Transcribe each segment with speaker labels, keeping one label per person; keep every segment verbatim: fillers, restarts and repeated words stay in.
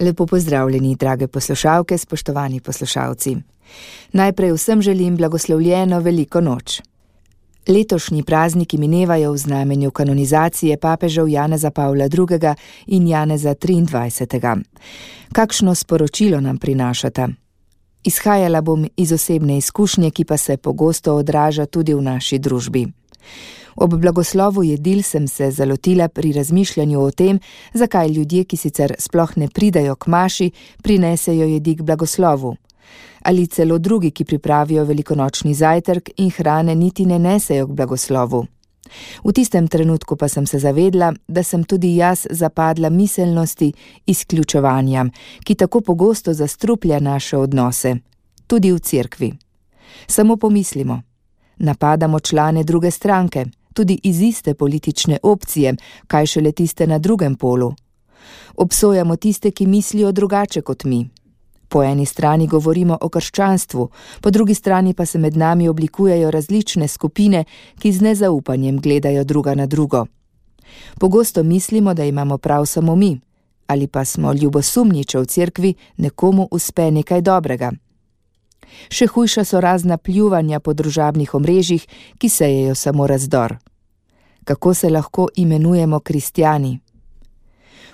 Speaker 1: Lepo pozdravljeni, drage poslušalke, spoštovani poslušalci. Najprej vsem želim blagoslovljeno veliko noč. Letošnji prazniki minevajo v znamenju kanonizacije papežev Janeza Pavla drugega in Janeza triindvajsetega. Kakšno sporočilo nam prinašata? Izhajala bom iz osebne izkušnje, ki pa se pogosto odraža tudi v naši družbi. Ob blagoslovu jedil sem se zalotila pri razmišljanju o tem, zakaj ljudje, ki sicer sploh ne pridajo k maši, prinesejo jedi k blagoslovu. Ali celo drugi, ki pripravijo velikonočni zajtrk in hrane niti ne nesejo k blagoslovu. V tistem trenutku pa sem se zavedla, da sem tudi jaz zapadla miselnosti izključevanja, ki tako pogosto zastruplja naše odnose, tudi v cerkvi. Samo pomislimo, napadamo člane druge stranke, tudi iz iste politične opcije, kaj šele tiste na drugem polu. Obsojamo tiste, ki mislijo drugače kot mi. Po eni strani govorimo o krščanstvu, po drugi strani pa se med nami oblikujejo različne skupine, ki z nezaupanjem gledajo druga na drugo. Pogosto mislimo, da imamo prav samo mi, ali pa smo ljubosumni, če v cerkvi nekomu uspe nekaj dobrega. Še hujša so razna pljuvanja po družabnih omrežjih, ki sejejo samo razdor. Kako se lahko imenujemo kristjani?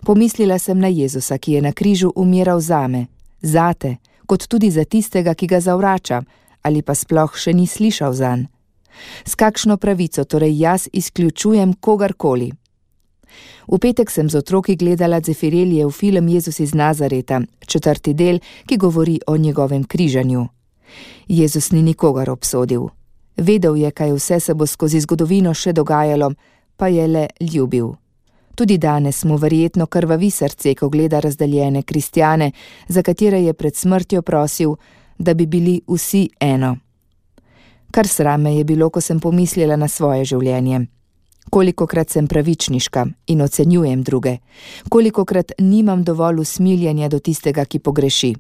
Speaker 1: Pomislila sem na Jezusa, ki je na križu umiral zame, zate, kot tudi za tistega, ki ga zavrača, ali pa sploh še ni slišal zanj. S kakšno pravico torej jaz izključujem kogarkoli? V petek sem z otroki gledala Zefirelijev film Jezus iz Nazareta, četrti del, ki govori o njegovem križanju. Jezus ni nikogar obsodil. Vedel je, kaj vse se bo skozi zgodovino še dogajalo, pa je le ljubil. Tudi danes mu verjetno krvavi srce, ko gleda razdaljene kristjane, za katere je pred smrtjo prosil, da bi bili vsi eno. Kar srame je bilo, ko sem pomislila na svoje življenje. Kolikokrat sem pravičniška in ocenjujem druge, kolikokrat nimam dovolj usmiljenja do tistega, ki pogreši.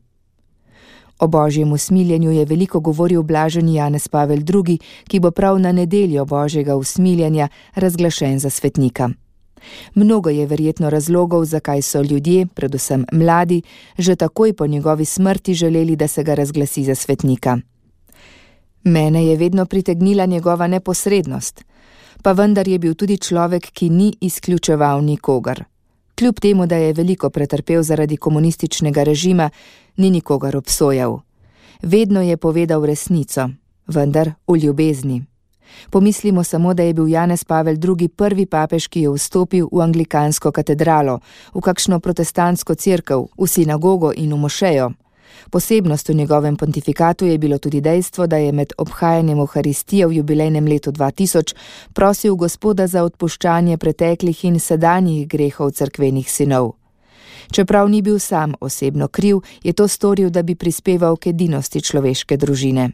Speaker 1: O božjem usmiljenju je veliko govoril blaženi Janez Pavel drugi, ki bo prav na nedeljo božjega usmiljenja razglašen za svetnika. Mnogo je verjetno razlogov, zakaj so ljudje, predvsem mladi, že takoj po njegovi smrti želeli, da se ga razglasi za svetnika. Mene je vedno pritegnila njegova neposrednost, pa vendar je bil tudi človek, ki ni izključeval nikogar. Kljub temu, da je veliko pretrpel zaradi komunističnega režima, ni nikogar obsojal. Vedno je povedal resnico, vendar v ljubezni. Pomislimo samo, da je bil Janez Pavel drugi prvi papež, ki je vstopil v anglikansko katedralo, v kakšno protestantsko cerkev, v sinagogo in v mošejo. Posebnost v njegovem pontifikatu je bilo tudi dejstvo, da je med obhajanjem Evharistije v jubilejnem letu dva tisoč prosil Gospoda za odpuščanje preteklih in sedanjih grehov cerkvenih sinov. Čeprav ni bil sam osebno kriv, je to storil, da bi prispeval k edinosti človeške družine.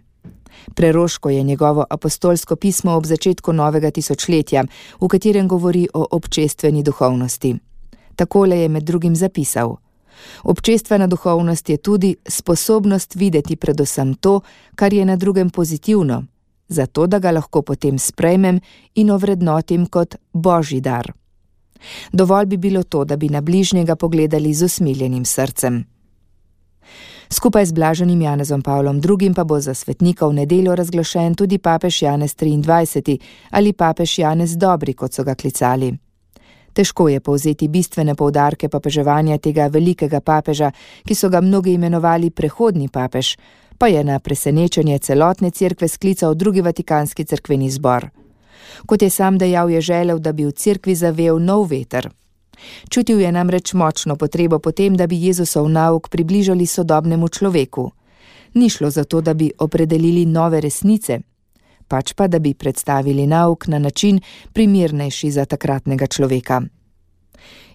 Speaker 1: Preroško je njegovo apostolsko pismo ob začetku novega tisočletja, v katerem govori o občestveni duhovnosti. Takole je med drugim zapisal: občestvena duhovnost je tudi sposobnost videti predvsem to, kar je na drugem pozitivno, zato da ga lahko potem sprejmem in ovrednotim kot božji dar. Dovolj bi bilo to, da bi na bližnjega pogledali z usmiljenim srcem. Skupaj z blaženim Janezom Pavlom drugim pa bo za svetnika v nedeljo razglašen tudi papež Janez triindvajseti ali papež Janez Dobri, kot so ga klicali. Težko je povzeti bistvene poudarke papeževanja tega velikega papeža, ki so ga mnogi imenovali prehodni papež, pa je na presenečenje celotne cerkve sklical drugi vatikanski cerkveni zbor. Kot je sam dejal, je želel, da bi v cerkvi zavel nov veter. Čutil je namreč močno potrebo potem, da bi Jezusov nauk približali sodobnemu človeku. Ni šlo za to, da bi opredelili nove resnice, pač pa, da bi predstavili nauk na način primernejši za takratnega človeka.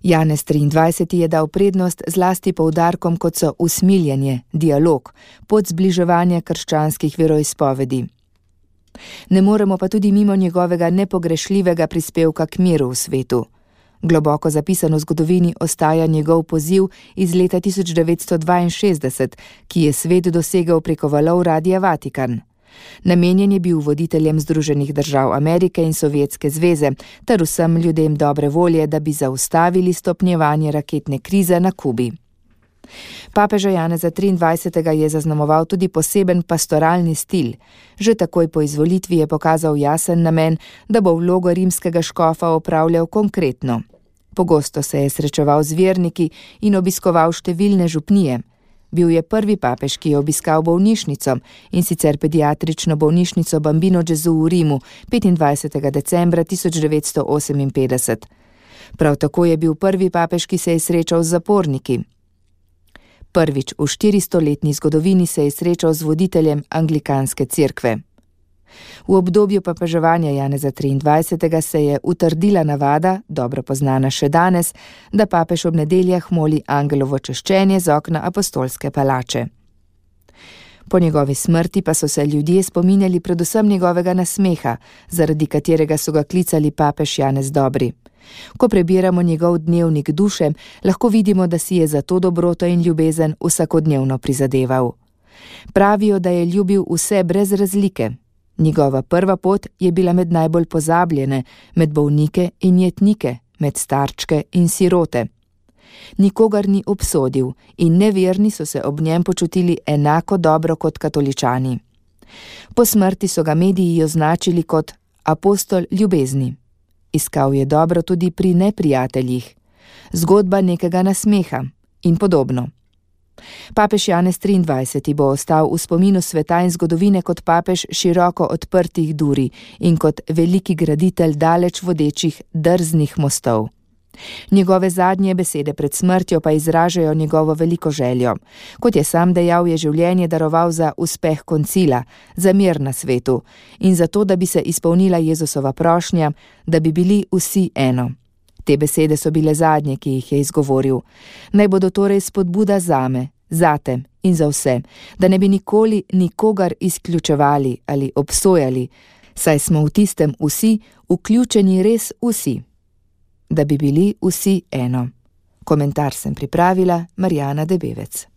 Speaker 1: Janez triindvajseti je dal prednost zlasti poudarkom, kot so usmiljenje, dialog, pot zbliževanja krščanskih veroizpovedi. Ne moremo pa tudi mimo njegovega nepogrešljivega prispevka k miru v svetu. Globoko zapisan v zgodovini ostaja njegov poziv iz leta tisoč devetsto dvainšestdeset, ki je svet dosegel preko valov Radia Vatikan. Namenjen je bil voditeljem Združenih držav Amerike in Sovjetske zveze ter vsem ljudem dobre volje, da bi zaustavili stopnjevanje raketne krize na Kubi. Papeža Janeza triindvajsetega je zaznamoval tudi poseben pastoralni stil. Že takoj po izvolitvi je pokazal jasen namen, da bo vlogo rimskega škofa opravljal konkretno. Pogosto se je srečeval z verniki in obiskoval številne župnije. Bil je prvi papež, ki je obiskal bolnišnico, in sicer pediatrično bolnišnico Bambino Gesù v Rimu petindvajsetega decembra tisoč devetsto oseminpetdeset. Prav tako je bil prvi papež, ki se je srečal z zaporniki. Prvič v štiristoletni zgodovini se je srečal z voditeljem anglikanske cerkve. V obdobju papeževanja Janeza triindvajsetega se je utrdila navada, dobro poznana še danes, da papež ob nedeljah moli angelovo češčenje z okna apostolske palače. Po njegovi smrti pa so se ljudje spominjali predvsem njegovega nasmeha, zaradi katerega so ga klicali papež Janez Dobri. Ko prebiramo njegov dnevnik duše, lahko vidimo, da si je za to dobroto in ljubezen vsakodnevno prizadeval. Pravijo, da je ljubil vse brez razlike. Njegova prva pot je bila med najbolj pozabljene, med bolnike in jetnike, med starčke in sirote. Nikogar ni obsodil in neverni so se ob njem počutili enako dobro kot katoličani. Po smrti so ga mediji označili kot apostol ljubezni. Iskal je dobro tudi pri neprijateljih, zgodba nekega nasmeha in podobno. Papež Janez triindvajseti bo ostal v spominu sveta in zgodovine kot papež široko odprtih duri in kot veliki graditelj daleč vodečih drznih mostov. Njegove zadnje besede pred smrtjo pa izražajo njegovo veliko željo. Kot je sam dejal, je življenje daroval za uspeh koncila, za mir na svetu in za to, da bi se izpolnila Jezusova prošnja, da bi bili vsi eno. Te besede so bile zadnje, ki jih je izgovoril. Naj bodo torej spodbuda zame, zate in za vse, da ne bi nikoli nikogar izključevali ali obsojali, saj smo v tistem vsi vključeni res vsi. Da bi bili vsi eno. Komentar sem pripravila Marjana Debevec.